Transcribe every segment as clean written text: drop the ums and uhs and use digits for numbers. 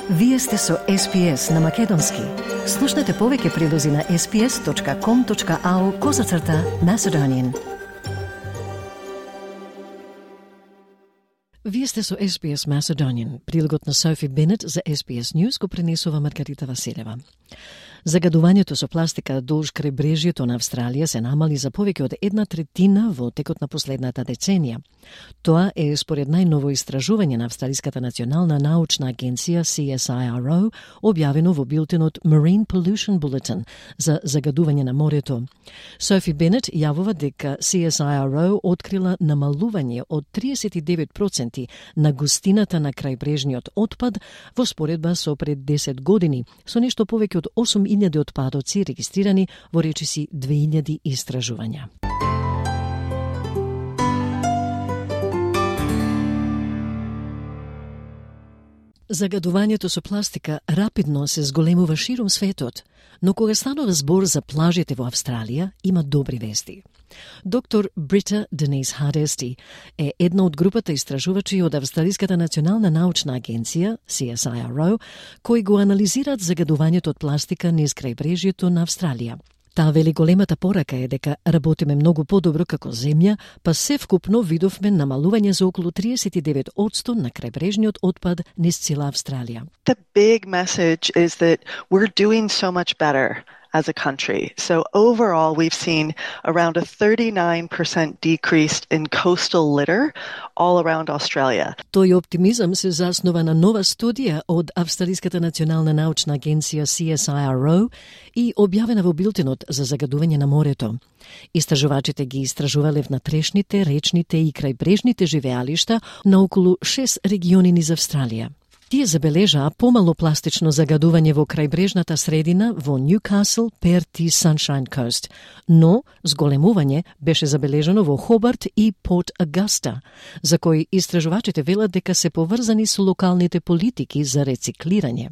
Вие сте со SPS на Македонски. Слушнете повеќе прилози на sps.com.au/Macedonian. Вие сте со SPS Macedonian. Прилогот на Софи Бенет за SPS News го пренесува Маргарита Василева. Загадувањето со пластика долж крајбрежјето на Австралија се намали за повеќе од 1/3 во текот на последната деценија. Тоа е според најново истражување на Австралиската национална научна агенција CSIRO, објавено во билтенот Marine Pollution Bulletin за загадување на морето. Софи Бенет јавува дека CSIRO открила намалување од 39% на густината на крајбрежниот отпад во споредба со пред 10 години, со нешто повеќе од 8.000 отпадоци регистрирани во речиси 2000 истражувања. Загадувањето со пластика рапидно се зголемува ширум светот, но кога станува збор за плажите во Австралија, има добри вести. Доктор Брита Денис Хардести е една од групата истражувачи од Австралиската национална научна агенција, CSIRO, кои го анализираат загадувањето од пластика низ крајбрежјето на Австралија. Таа вели големата порака е дека работиме многу подобро како земја, па севкупно видовме намалување за околу 39% на крајбрежниот отпад низ цела Австралија. The big message is that we're doing so much better as a country. So overall, we've seen around a 39% decrease in coastal litter all around Australia. Тој оптимизам се заснова на нова студија од Австралиската национална научна агенција CSIRO и објавена во билтенот за загадување на морето. Истражувачите ги истражувале внатрешните, речните и крајбрежните живеалишта на околу 6 региони низ Австралија. Тие забележаа помало пластично загадување во крајбрежната средина во Ньюкасл, Перт и Sunshine Coast, но зголемување беше забележано во Хобарт и Порт Агаста, за кои истражувачите велат дека се поврзани со локалните политики за рециклирање.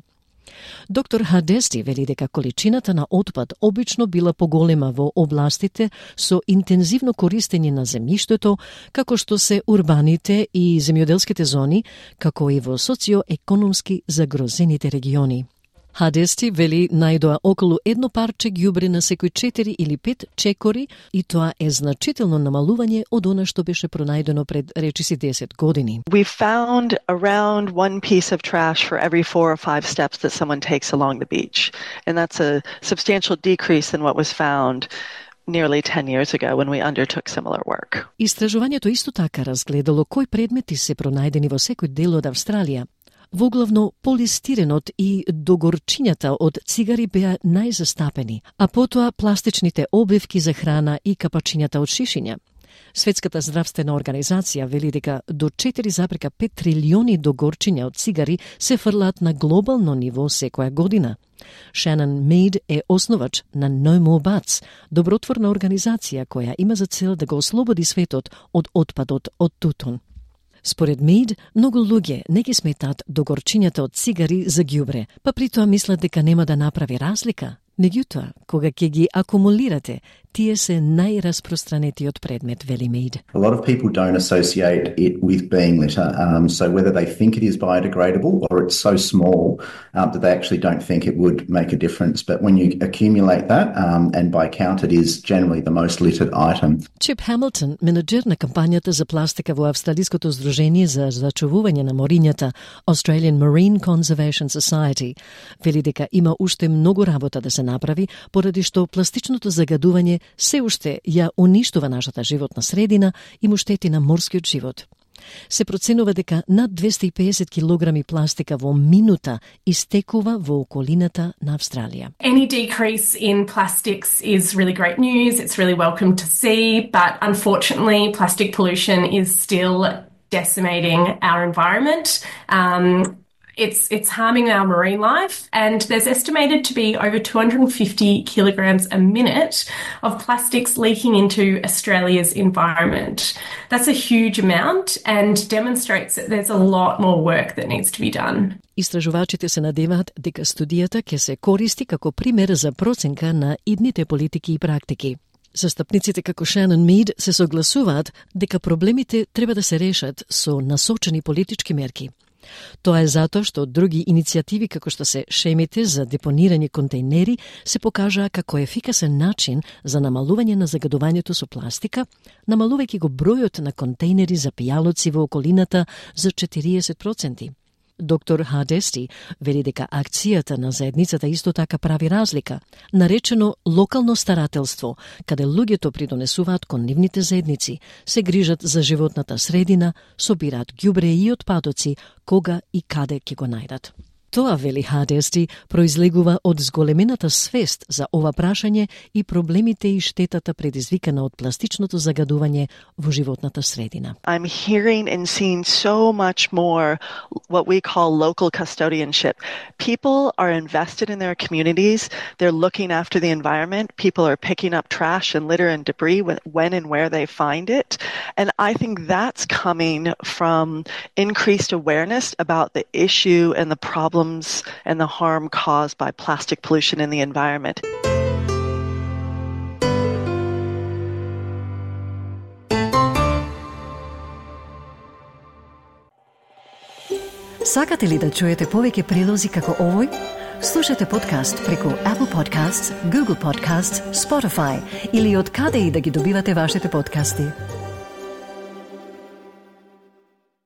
Доктор Хардести вели дека количината на отпад обично била поголема во областите со интензивно користење на земјиштето, како што се урбаните и земјоделските зони, како и во социоекономски загрозените региони. Хардести вели најдоа околу едно парче ѓубре на секој 4 или 5 чекори и тоа е значително намалување од она што беше пронајдено пред речиси 10 години. We found around one piece of trash for every 4 or 5 steps that someone takes along the beach. And that's a substantial decrease than what was found nearly 10 years ago when we undertook similar work. Истражувањето исто така разгледало кои предмети се пронајдени во секој дел од Австралија. Воглавно полистиренот и догорчињата од цигари беа најзастапени, а потоа пластичните обивки за храна и капачињата од шишиња. Светската здравствена организација вели дека до 4,5 трилиони догорчиња од цигари се фрлаат на глобално ниво секоја година. Шенон Мейд е основач на No More Butts, добротворна организација која има за цел да го ослободи светот од отпадот од тутун. Според Мейд, многу луѓе не ги сметаат догорчињата од цигари за ѓубре, па при тоа мислат дека нема да направи разлика. Меѓутоа, кога ќе ги акумулирате, тие се најраспространетиот предмет, вели Мейд. A lot of people don't associate it with being litter, so whether they think it is biodegradable or it's so small that they actually don't think it would make a difference. But when you accumulate that, and by count it is generally the most littered item. Чип Хамилтон, менеджер на кампањата за пластика во Австралиското здружение за зачувување на морињата Australian Marine Conservation Society, вели дека има уште многу работа да се направи, поради што пластичното загадување се уште ја уништува нашата животна средина и му штети на морскиот живот. Се проценува дека над 250 килограми пластика во минута истекува во околината на Австралија. Any decrease in plastics is really great news. It's really welcome to see, but unfortunately plastic pollution is still decimating our environment. It's harming our marine life, and there's estimated to be over 250 kilograms a minute of plastics leaking into Australia's environment. That's a huge amount and demonstrates that there's a lot more work that needs to be done. Истражувачите се надеваат дека студијата ќе се користи како пример за проценка на идните политики и практики. Застапниците како Шенон Мейд се согласуваат дека проблемите треба да се решат со насочени политички мерки. Тоа е затоа што други иницијативи како што се шемите за депонирање контейнери се покажаа како ефикасен начин за намалување на загадувањето со пластика, намалувајќи го бројот на контейнери за пијалоци во околината за 40%. Доктор Хадести вели дека акцијата на заедницата исто така прави разлика, наречено локално старателство, каде луѓето придонесуваат кон нивните заедници, се грижат за животната средина, собираат ѓубре и отпадоци, кога и каде ќе го најдат. Тоа, вели Хадести, произлегува од зголемената свест за ова прашање и проблемите и штетата предизвикана од пластичното загадување во животната средина. I'm hearing and seeing so much more what we call local custodianship. People are invested in their communities. They're looking after the environment. People are picking up trash and litter and debris when and where they find it. And I think that's coming from increased awareness about the issue and the problems and the harm caused by plastic pollution in the environment. Сакате ли да чуете повеќе прилози како овој? Слушате подкаст преку Apple Podcasts, Google Podcasts, Spotify или од каде и да ги добивате вашите подкасти.